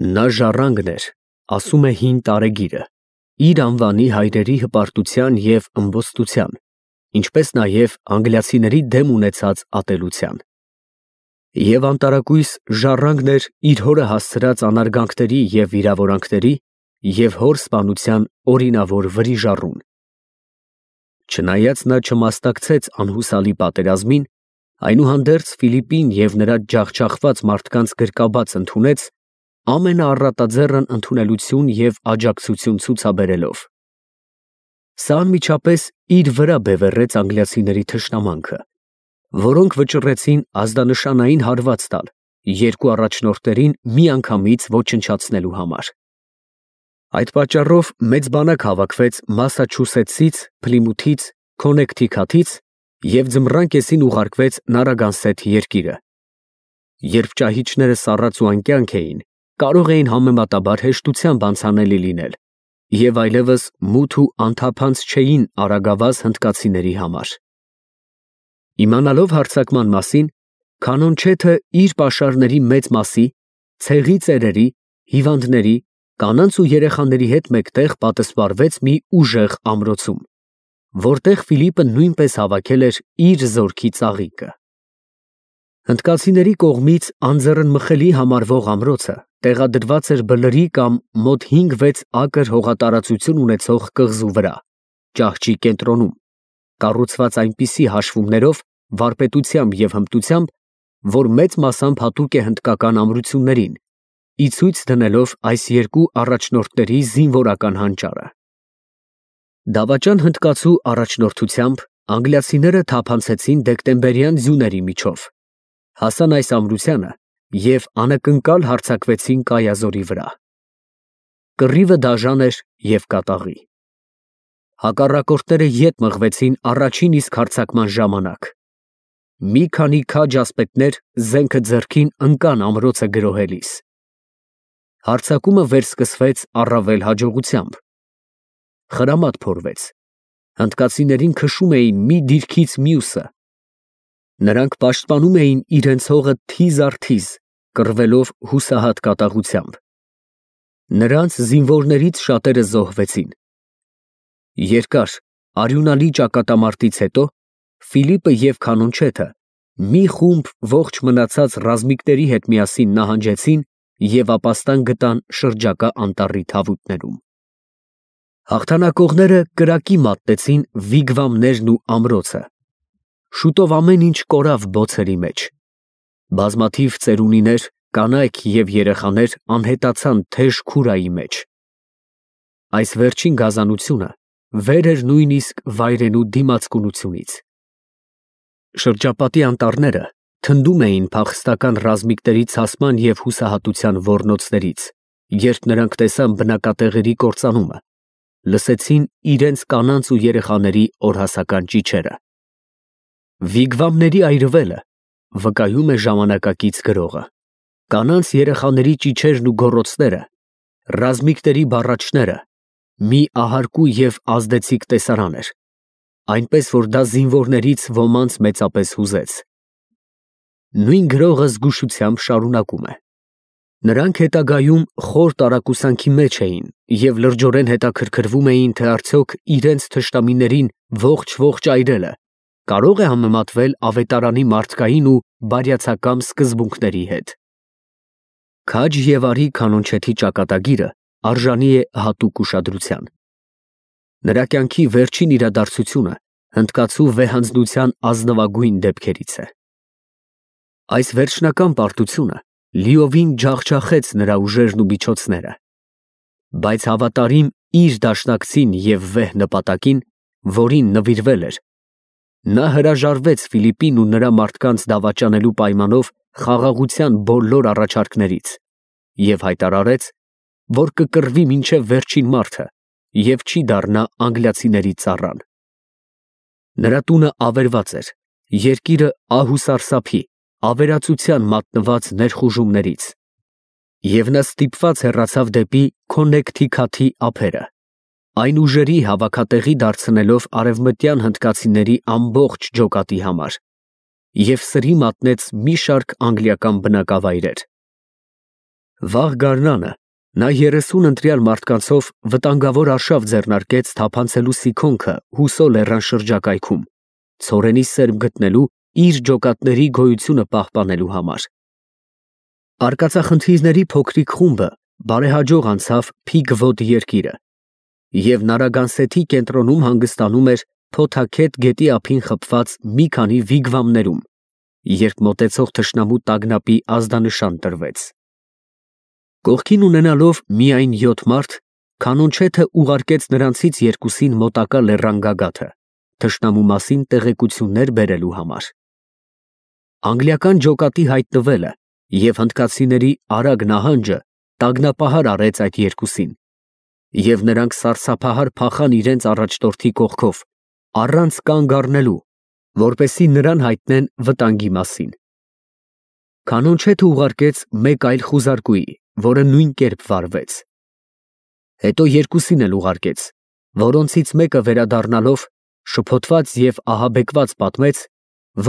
Նա ժառանգն էր, ասում է հին տարեգիրը, իր անվանի հայրերի հպարտության և ըմբոստության, ինչպես նաև անգլիացիների դեմ ունեցած ատելության։ Եվ անտարակույս ժառանգն էր իր հորը հասցրած անարգանքների և վիրավորանքների և հոր սպանության օրինավոր վրիժառուն։ Չնայած նա չմասնակցեց անհուսալի պատերազմին, այնուհանդերձ Ֆիլիպին և նրա ջախջախված մարդկանց գրկաբաց ընդունեց, ամենաառատաձեռն ընդունելություն և աջակցություն ցուցաբերելով։ Սա անմիջապես իր վրա բևեռեց անգլիացիների թշնամանքը, որոնք վճռեցին ազդանշանային հարված տալ երկու առաջնորդներին միանգամից ոչնչացնելու համար։ Այդ պատճառով մեծ բանակ հավաքվեց Մասաչուսեթսից, Փլիմութից, Քոննեկթիքաթից և ձմռան կեսին ուղարկվեց Նարագանսեթ երկիրը։ Երբ ճահիճները սառած ու անկյանք էին, կարող էին համեմատաբար հեշտությամբ անցանելի լինել և այլևս մութ ու անթափանց չէին արագավազ հնդկացիների համար։ Իմանալով հարձակման մասին, Քանոնչեթը իր պաշարների մեծ մասի, ցեղի ծերերի, հիվանդների, կանանց ու երեխաների հետ մեկտեղ պատսպարվեց մի ուժեղ ամրոցում, որտեղ Ֆիլիպը նույնպես հավաքել էր իր զորքի ծաղիկը։ Հնդկացիների կողմից անձեռնմխելի համարվող ամրոցը տեղադրված էր բլրի կամ մոտ 5-6 ակր հողատարածություն ունեցող կղզու վրա, ճահճի կենտրոնում, կառուցված այնպիսի հաշվումներով, վարպետությամբ և հմտությամբ, որ մեծ մասամբ հատուկ է հնդկական ամրություններին, ի ցույց դնելով այս երկու առաջնորդների զինվորական հանճարը։ Դավաճան հնդկացու առաջնորդությամբ անգլիացիները թափանցեցին դեկտեմբերյան ձյուների միջով, հասան այս ամրությանը և անակնկալ հարձակվեցին Կայազորի վրա։ Կռիվը դաժան էր և կատաղի։ Հակառակորդները ետ մղվեցին առաջին իսկ հարձակման ժամանակ։ Մի քանի քաջ ասպետներ զենքը ձեռքին ընկան ամրոցը գրոհելիս։ Հարձակումը վերսկսվեց առավել հաջողությամբ։ Խրամատ փորվեց։ Հնդկացիներին քշում էին մի դիրքից մյուսը։ Նրանք պաշտպանում էին իրենց հողը թիզ առ թիզ, կռվելով հուսահատ կատաղությամբ։ Նրանց զինվորներից շատերը զոհվեցին։ Երկար, արյունալի ճակատամարտից հետո Ֆիլիպը և Քանոնչեթը մի խումբ ողջ մնացած ռազմիկների հետ միասին նահանջեցին և ապաստան գտան շրջակա անտառի թավուտներում։ Հաղթանակողները կրակի մատնեցին վիգվամներն ու ամրոցը։ Շուտով ամեն ինչ կորավ բոցերի մեջ։ Բազմաթիվ ծերունիներ, կանայք և երեխաներ անհետացան թեժ քուրայի մեջ։ Այս վերջին գազանությունը վեր էր նույնիսկ վայրենու դիմացկունությունից։ Շրջապատի անտառները թնդում էին փախստական ռազմիկների ցասման և հուսահատության ոռնոցներից, երբ նրանք տեսան բնակատեղերի կործանումը, լսեցին իրենց կանանց ու երեխաների օրհասական ճիչերը։ Վիգվամների այրվելը վկայում է ժամանակակից գրողը։ Կանանց երեխաների ճիչերն ու գոռոցները, ռազմիկների բառաչները մի ահարկու և ազդեցիկ տեսարան էր, այնպես որ դա զինվորներից ոմանց մեծապես հուզեց։ Նույն գրողը զգուշությամբ շարունակում է. նրանք հետագայում խոր տարակուսանքի մեջ էին և լրջորեն հետաքրքրվում էին, թե արդյոք իրենց թշնամիներին ողջ այրելը կարո՞ղ է համեմատվել ավետարանի մարդկային ու բարյացակամ սկզբունքների հետ։ Քաջ և արի Քանոնչեթի ճակատագիրը արժանի է հատուկ ուշադրության։ Նրա կյանքի վերջին իրադարձությունը հնդկացու վեհանձնության ազնվագույն դեպքերից է։ Այս վերջնական պարտությունը լիովին ջախջախեց նրա ուժերն ու միջոցները, բայց հավատարիմ իր դաշնակցին և վեհ նպատակին, որին նվիրվել էր, նա հրաժարվեց Ֆիլիպին ու նրա մարդկանց դավաճանելու պայմանով խաղաղության բոլոր առաջարկներից և հայտարարեց, որ կկռվի մինչև վերջին մարդը և չի դառնա անգլիացիների ծառան։ Նրա տունը ավերված էր, երկիրը ահ ու սարսափի, ավերածության մատնված ներխուժումներից, և նա ստիպված հեռացավ դեպի Քոննեկթիքաթի ափերը, այն ուժերի հավաքատեղի դարձնելով արևմտյան հնդկացիների ամբողջ ջոկատի համար, և սրի մատնեց մի շարք անգլիական բնակավայրեր։ Վաղ գարնանը նա 30 ընտրյալ մարդկանցով վտանգավոր արշավ ձեռնարկեց թափանցելու Սիքոնքը Հուսո լեռան շրջակայքում, ցորենի սերմ գտնելու իր ջոկատների գոյությունը պահպանելու համար։ Արկածախնդիրների փոքրիկ խումբը բարեհաջող անցավ Փիգվոտ երկիրը և Նարագանսեթի կենտրոնում հանգստանում էր Փոթաքեթ գետի ափին խփված մի քանի վիգվամներում, երբ մոտեցող թշնամու տագնապի ազդանշան տրվեց։ Կողքին ունենալով միայն 7 մարդ, Քանոնչեթը ուղարկեց նրանցից երկուսին մոտակա լեռան գագաթը, թշնամու մասին տեղեկություններ բերելու համար։ Անգլիական ջոկատի հայտնվելը և հնդկացիների արագ նահանջը տագնապահար արեց այդ երկուսին, և նրանք սարսափահար փախան իրենց առաջնորդի կողքով, առանց կանգ առնելու, որպեսզի նրան հայտնեն վտանգի մասին։ Քանոնչեթը ուղարկեց մեկ այլ խուզարկուի, որը նույն կերպ վարվեց։ Հետո երկուսին էլ ուղարկեց, որոնցից մեկը վերադառնալով շփոթված և ահաբեկված պատմեց,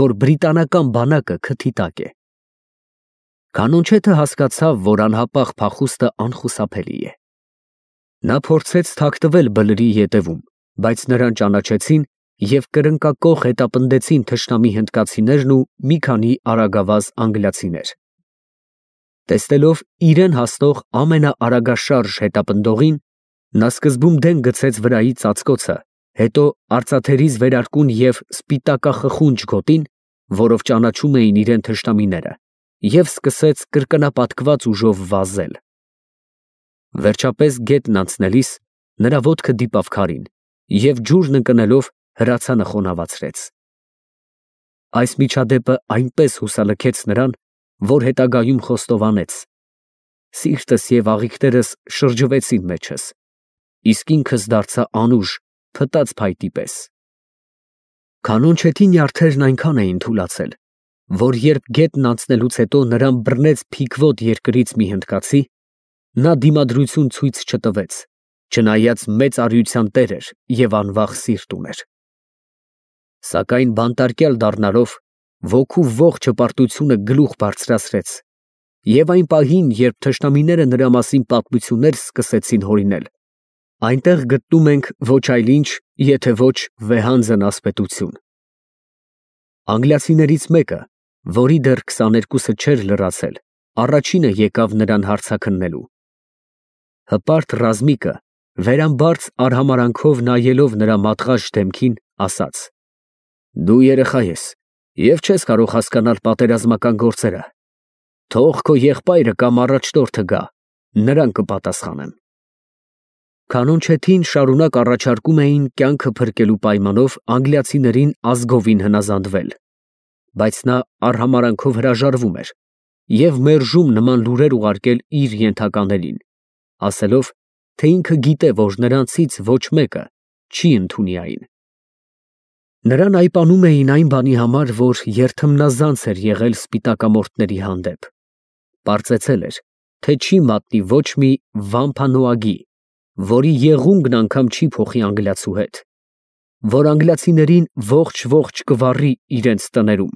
որ բրիտանական բանակը քթի տակ է։ Քանոնչեթը հասկացավ, որ անհապաղ փախուստը անխուսափելի է։ Նա փորձեց թաքնվել բլրի ետևում, բայց նրան ճանաչեցին և կրնկակոխ հետապնդեցին թշնամի հնդկացիներն ու մի քանի արագավազ անգլիացիներ։ Տեսնելով իրեն հասնող ամենաարագաշարժ հետապնդողին, նա սկզբում դեն գցեց վրայի ծածկոցը, հետո արծաթերից վերարկուն և սպիտակախխունջ գոտին, որով ճանաչում էին իրեն թշնամիները, և սկսեց կրկնապատկված ուժով վազել։ Վերջապես գետն անցնելիս նրա ոտքը դիպավ քարին և ջուրն ընկնելով հրացանը խոնավացրեց։ Այս միջադեպը այնպես հուսալքեց նրան, որ հետագայում խոստովանեց. «Սիրտս և աղիքներս շրջվեցին մեջս, իսկ ինքս դարձա անուշ, փտած փայտի պես»։ Քանոնչեթի նյարդերն այնքան էին թուլացել, որ երբ գետն անցնելուց հետո նրան բռնեց Փիգվոտ երկրից մի հնդկացի, նա դիմադրություն ցույց չտվեց, չնայած մեծ արիության տեր էր և անվախ սիրտ ուներ։ Սակայն բանտարկյալ դառնալով, ոգու ողջ հպարտությունը գլուխ բարձրացրեց, և այն պահին, երբ թշնամիները նրա մասին պատմություններ սկսեցին հորինել, այնտեղ գտնում ենք ոչ այլ ինչ, եթե ոչ վեհանձն ասպետություն։ Անգլիացիներից մեկը, որի դեռ 22-ը չէր լրացել, առաջինը եկավ նրան հարցաքննելու։ Հպարտ ռազմիկը, վերամբարձ արհամարանքով նայելով նրա մատղաշ դեմքին, ասաց. «Դու երեխա ես և չես կարող հասկանալ պատերազմական գործերը։ Թող քո եղբայրը կամ առաջնորդը գա, նրան կպատասխանեմ»։ Քանոնչեթին շարունակ առաջարկում էին կյանքը փրկելու պայմանով անգլիացիներին ազգովին հնազանդվել, բայց նա արհամարանքով հրաժարվում էր և մերժում նման լուրեր ուղարկել իր ենթականերին, ասելով, թե ինքը գիտե, որ նրանցից ոչ մեկը չի ընդունի այն։ Նրան այպանում էին այն բանի համար, որ երթմնազանց էր եղել սպիտակամորթների հանդեպ, պարծեցել էր, թե չի մատնի ոչ մի վամփանոագի, որի եղունգն անգամ չի փոխի անգլիացու հետ, որ անգլիացիներին ողջ կվառի իրենց տներում։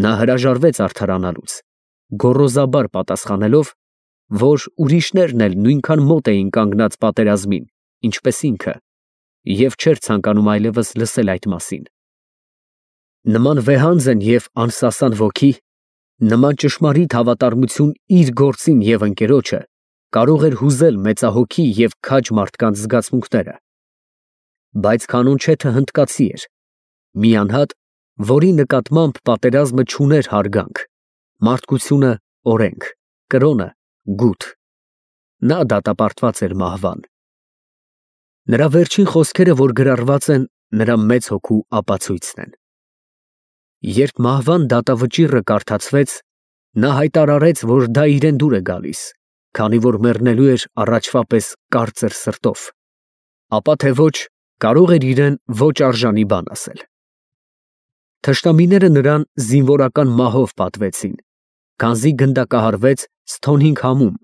Նա հրաժարվեց արդարանալուց, գոռոզաբար պատասխանելով, որ ուրիշներն էլ նույնքան մոտ էին կանգնած պատերազմին, ինչպես ինքը, և չէր ցանկանում այլևս լսել այդ մասին։ Նման վեհանձն և անսասան ոգի, նման ճշմարիտ հավատարմություն իր գործին և ընկերոջը կարող էր հուզել մեծահոգի և քաջ մարդկանց զգացմունքները։ Բայց Քանոնչեթը հնդկացի էր, մի անհատ, որի նկատմամբ պատերազմը չուներ հարգանք, մարդկությունը օրենք, կրոնը գութ։ Նա դատապարտված էր մահվան։ Նրա վերջին խոսքերը, որ գրառված են, նրա մեծ հոգու ապացույցն են։ Երբ մահվան դատավճիռը կարդացվեց, նա հայտարարեց, որ դա իրեն դուր է գալիս, քանի որ մեռնելու էր առաջվա պես կարծր սրտով, ապա թե ոչ, կարող էր իրեն ոչ արժանի բան ասել։ Թշնամիները նրան զինվորական մահով պատվեցին, քանզի գնդակահարվեց Սթոնհինգհամում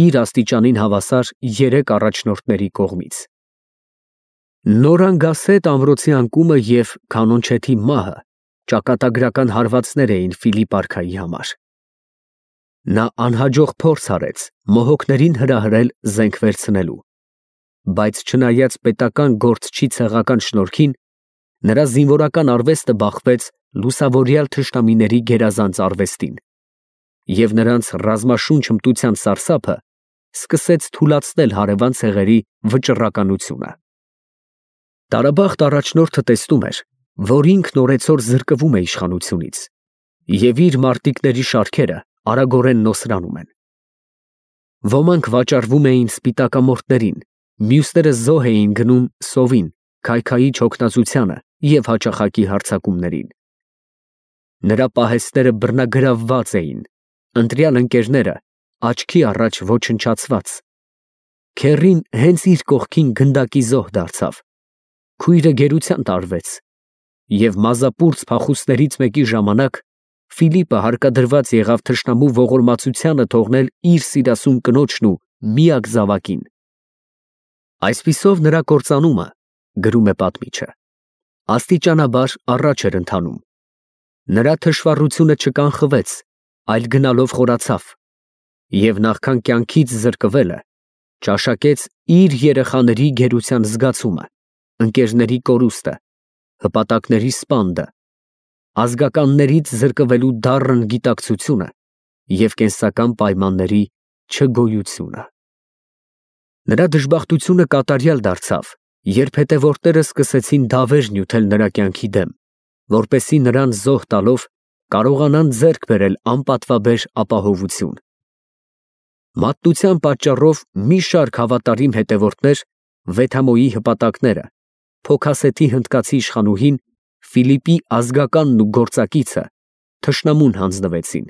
իր աստիճանին հավասար 3 առաջնորդների կողմից։ Նորանգասետ ամրոցի անկումը և Քանոնչեթի մահը ճակատագրական հարվածներ էին Ֆիլիպ արքայի համար։ Նա անհաջող փորձ արեց մոհոկներին հրահրել զենք վերցնելու, բայց չնայած պետական գործչի ցեղական շնորհքին, նրա զինվորական արվեստը բախվեց լուսավորյալ թշնամիների գերազանց արվեստին, և նրանց ռազմաշունչ հմտության սարսափը սկսեց թուլացնել հարևան ցեղերի վճռականությունը։ Տարաբախտ առաջնորդը տեսնում էր, որ ինքն օրեցօր զրկվում է իշխանությունից, և իր մարտիկների շարքերը արագորեն նոսրանում են։ Ոմանք վաճառվում էին սպիտակամորթներին, մյուսները զոհ էին գնում սովին, քայքայիչ հոգնածությանը և հաճախակի հարձակումներին։ Նրա պահեստները բռնագրավված էին, ընտրյալ ընկերները աչքի առաջ ոչնչացված։ Քեռին հենց իր կողքին գնդակի զոհ դարձավ, քույրը գերության տարվեց, և մազապուրծ փախուստներից մեկի ժամանակ Ֆիլիպը հարկադրված եղավ թշնամու ողորմածությանը թողնել իր սիրասուն կնոջն ու միակ զավակին։ Այսպիսով նրա կործանումը, գրում է պատմիչը, աստիճանաբար առաջ էր ընթանում։ Նրա թշվառությունը չկանխվեց, այլ գնալով խորացավ, և նախքան կյանքից զրկվելը, ճաշակեց իր երեխաների գերության զգացումը, ընկերների կորուստը, հպատակների սպանդը, ազգականներից զրկվելու դառն գիտակցությունը և կենսական պայմանների չգոյությունը։ Նրա դժբախտությունը կատարյալ դարձավ, երբ հետևորդները սկսեցին դավեր նյութել նրա կյանքի դեմ, որպեսզի նրան զոհ տալով կարողանան ձեռք բերել անպատվաբեր ապահովություն։ Մատնության պատճառով մի շարք հավատարիմ հետևորդներ Վեթամոյի հպատակները Փոքասեթի հնդկացի իշխանուհին Ֆիլիպի ազգականն ու գործակիցը թշնամուն հանձնվեցին։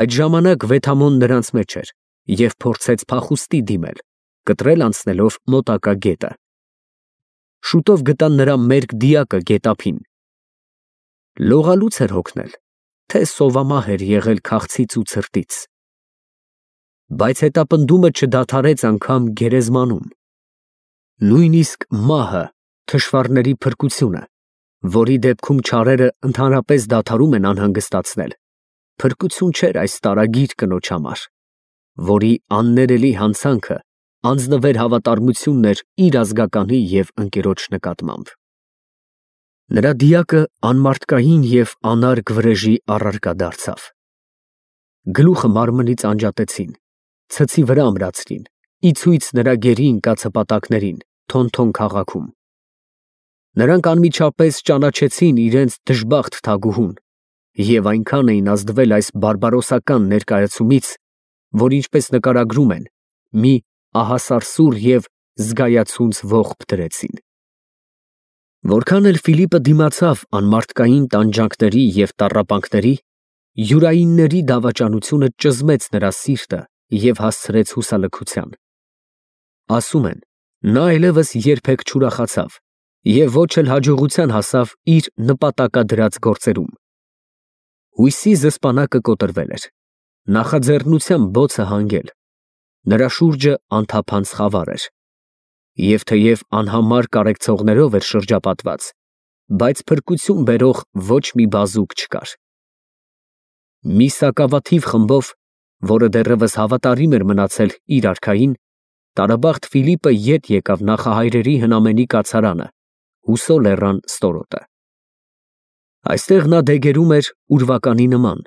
Այդ ժամանակ Վեթամոն նրանց մեջ էր և փորձեց փախուստի դիմել, կտրել անցնելով մոտակա գետը։ Շուտով գտան նրա մերկ դիակը գետափին։ Լողալուց էր հոգնել, թե սովամահ էր եղել քաղցից ու ցրտից։ Բայց հետապնդումը չդադարեց անգամ գերեզմանում։ Նույնիսկ մահը, թշվառների փրկությունը, որի դեպքում չարերը ընդհանրապես դադարում են անհանգստացնել, փրկություն չէր այս տարագիր կնոջ համար, որի աններելի հանցանքը անձնվեր հավատարմությունն էր իր ազգականի և ընկերոջ նկատմամբ։ Նրա դիակը անմարդկային և անարգ վրեժի առարկա դարձավ։ Գլուխը մարմնից անջատեցին, ցցի վրա ամրացրին, ի ցույց նրա գերի ընկած հպատակներին Թոնթոն քաղաքում։ Նրանք անմիջապես ճանաչեցին իրենց դժբախտ թագուհուն և այնքան էին ազդվել այս բարբարոսական ներկայացումից, որ ինչպես նկարագրում են, մի ահասարսուռ և զգայացունց ողբ դրեցին։ Որքան էլ Ֆիլիպը դիմացավ անմարդկային տանջանքների և տառապանքների, յուրայինների դավաճանությունը ճզմեց նրա սիրտը և հասցրեց հուսալքության։ Ասում են, նա այլևս երբեք չուրախացավ և ոչ էլ հաջողության հասավ իր նպատակադրած գործերում։ Հույսի զսպանակը կոտրվել էր, նախաձեռնության բոցը հանգել, նրա շուրջը անթափանց խավար էր, և թեև անհամար կարեկցողներով էր շրջապատված, բայց փրկություն բերող ոչ մի բազուկ չկար։ Մի սակավաթիվ խմբով, որը դեռևս հավատարիմ էր մնացել իր արքային, տարաբախտ Ֆիլիպը ետ եկավ նախահայրերի հնամենի կացարանը, Հուսո լեռան ստորոտը։ Այստեղ նա դեգերում էր ուրվականի նման,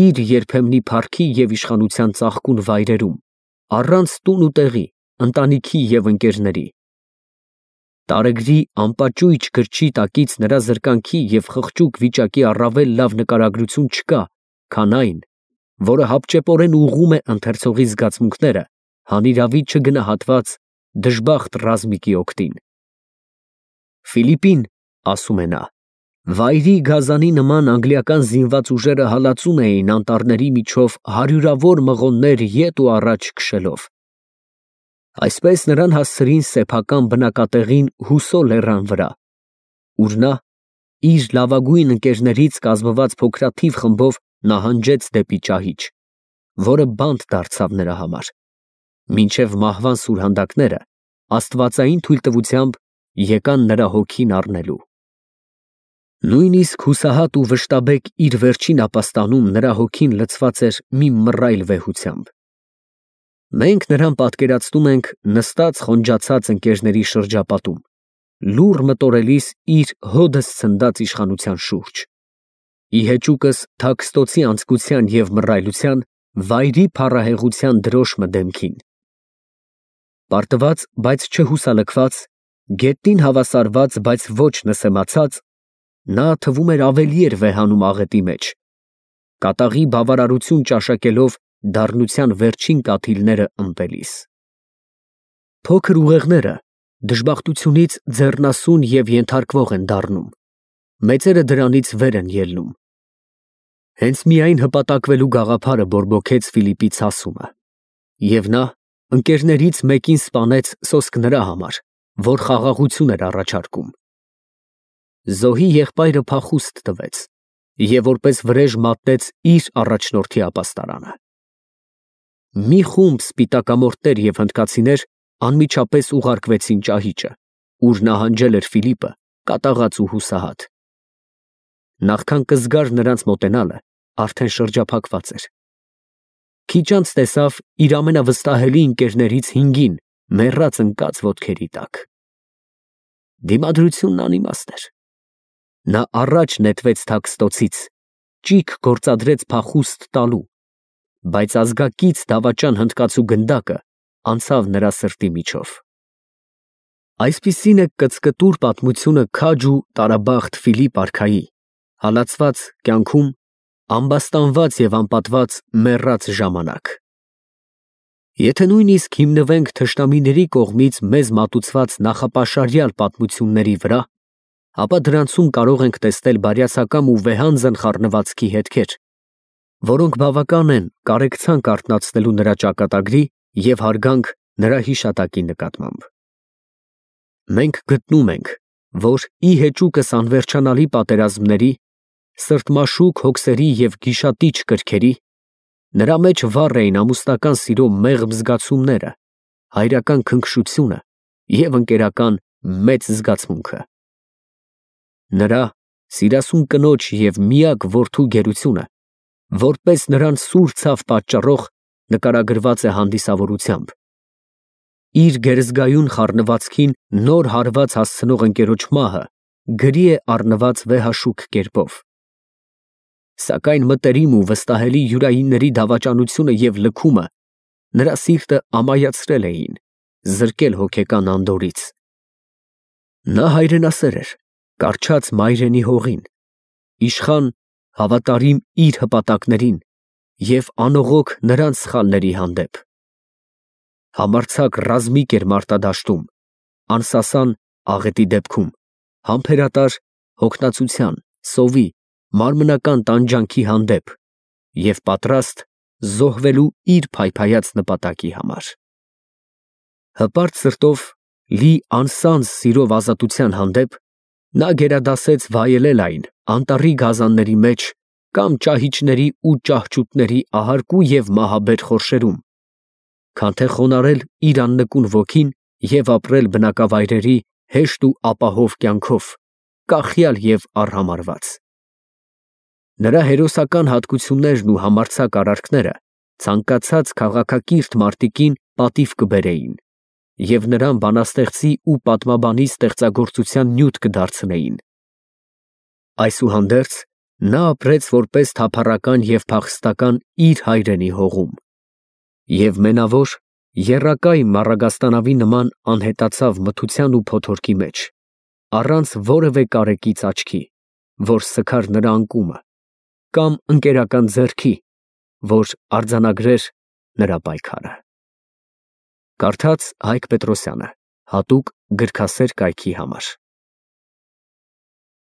իր երբեմնի փառքի և իշխանության ծաղկուն վայրերում, առանց տուն ու տեղի, ընտանիքի և ընկերների։ Տարեգրի անպաճույճ գրչի տակից նրա զրկանքի և խղճուկ վիճակի առավել լավ նկարագրություն չկա, քան այն, որը հապճեպորեն ուղղում է ընթերցողի զգացմունքները հանիրավի չգնահատված դժբախտ ռազմիկի օգտին։ Ֆիլիպին, ասում է նա, վայրի գազանի նման անգլիական զինված ուժերը հալածում էին անտառների միջով հարյուրավոր մղոններ ետ ու առաջ քշելով։ Այսպես նրան հասցրին սեփական բնակատեղին Հուսո լեռան վրա, ուր նա իր լավագույն ընկերներից կազմված փոքրաթիվ խմբով նահանջեց դեպի ճահիճ, որը բանտ դարձավ նրա համար, մինչև մահվան սուրհանդակները աստվածային թույլտվությամբ եկան նրա հոգին առնելու։ Նույնիսկ հուսահատ ու վշտաբեկ իր վերջին ապաստանում նրա հոգին լցված էր մի մռայլ վեհությամբ։ Մենք նրան պատկերացնում ենք նստած խոնջացած ընկերների շրջապատում, լուռ մտորելիս իր հոդս ցնդած իշխանության շուրջ։ Ի հեճուկս թաքստոցի անձկության և մռայլության, վայրի փառահեղության դրոշմը դեմքին։ Պարտված, բայց չհուսալքված, գետնին հավասարված, բայց ոչ նսեմացած, նա թվում էր ավելի էր վեհանում աղետի մեջ, կատաղի բավարարություն ճաշակելով դառնության վերջին կաթիլները ըմպելիս։ Փոքր ուղեղները դժբախտությունից ձեռնասուն և ենթարկվող են դառնում, մեծերը դրանից վեր են ելնում։ Հենց միայն հպատակվելու գաղափարը բորբոքեց Ֆիլիպի ցասումը, և նա ընկերներից մեկին սպանեց սոսկ նրա համար, որ խաղաղություն էր առաջարկում։ Զոհի եղբայրը փախուստ տվեց և որպես վրեժ մատնեց իր առաջնորդի ապաստարանը։ Մի խումբ սպիտակամորթներ և հնդկացիներ անմիջապես ուղարկվեցին ճահիճը, ուր նահանջել էր Ֆիլիպը, կատաղած ու հուսահատ։ Նախքան կզգար նրանց մոտենալը, արդեն շրջափակված էր։ Քիչ անց տեսավ իր ամենավստահելի ընկերներից հինգին մեռած ընկած ոտքերի տակ։ Դիմադրությունն անիմաստ էր։ Նա առաջ նետվեց թաքստոցից, ճիգ գործադրեց փախուստ տալու, բայց ազգակից դավաճան հնդկացու գնդակը անցավ նրա սրտի միջով։ Այսպիսին է կծկտուր պատմությունը քաջ ու տարաբախտ Ֆիլիպ արքայի, հալածված կյանքում, ամբաստանված և անպատված մեռած ժամանակ։ Եթե նույնիսկ հիմնվենք թշնամիների կողմից մեզ մատուցված նախապաշարյալ պատմությունների վրա, ապա դրանցում կարող ենք տեսնել բարյացակամ ու վեհանձն խառնվածքի հետքեր, որոնք բավական են կարեկցանք արթնացնելու նրա ճակատագրի և հարգանք նրա հիշատակի նկատմամբ։ Մենք գտնում ենք, որ ի հեճուկս անվերջանալի պատերազմների, սրտմաշուկ հոգսերի և գիշատիչ կրքերի, նրա մեջ վառ էին ամուսնական սիրո մեղմ զգացումները, հայրական քնքշությունը և ընկերական մեծ զգացմունքը։ Նրա սիրասուն կնոջ և միակ որդու գերությունը, որպես նրան սուր ցավ պատճառող, նկարագրված է հանդիսավորությամբ։ Իր գերզգայուն խառնվածքին նոր հարված հասցնող ընկերոջ մահը գրի է առնված վեհաշուք կերպով։ Սակայն մտերիմ ու վստահելի յուրայինների դավաճանությունը և լքումը նրա սիրտը ամայացրել էին, զրկել հոգեկան անդորրից։ Նա հայրենասեր էր, կառչած մայրենի հողին, իշխան, հավատարիմ իր հպատակներին և անողոք նրանց սխալների հանդեպ։ Համարձակ ռազմիկ էր մարտադաշտում, անսասան աղետի դեպքում, համբերատար հոգնածության, սովի, մարմնական տանջանքի հանդեպ և պատրաստ զոհվելու իր փայփայած նպատակի համար։ Հպարտ սրտով, լի անսանձ սիրով ազատության հանդեպ, նա գերադասեց վայելել այն անտառի գազանների մեջ կամ ճահիճների ու ճահճուտների ահարկու և մահաբեր խորշերում, քան թե խոնարհել իր աննկուն ոգին և ապրել բնակավայրերի հեշտ ու ապահով կյանքով, կախյալ և արհամարհված։ Նրա հերոսական հատկություններն ու համարձակ արարքները ցանկացած քաղաքակիրթ մարտիկին պատիվ կբերեին և նրան բանաստեղծի ու պատմաբանի ստեղծագործության նյութ կդարձնեին։ Այսուհանդերձ, նա ապրեց որպես թափառական և փախստական իր հայրենի հողում և մենավոր, եռակայ մառագաստանավի նման անհետացավ մթության ու փոթորկի մեջ, առանց որևէ կարեկից աչքի, որ սգար նրա անկումը, կամ ընկերական ձեռքի, որ արձանագրեր նրա պայքարը։ Կարդաց Հայկ Պետրոսյանը, հատուկ գրքասեր կայքի համար։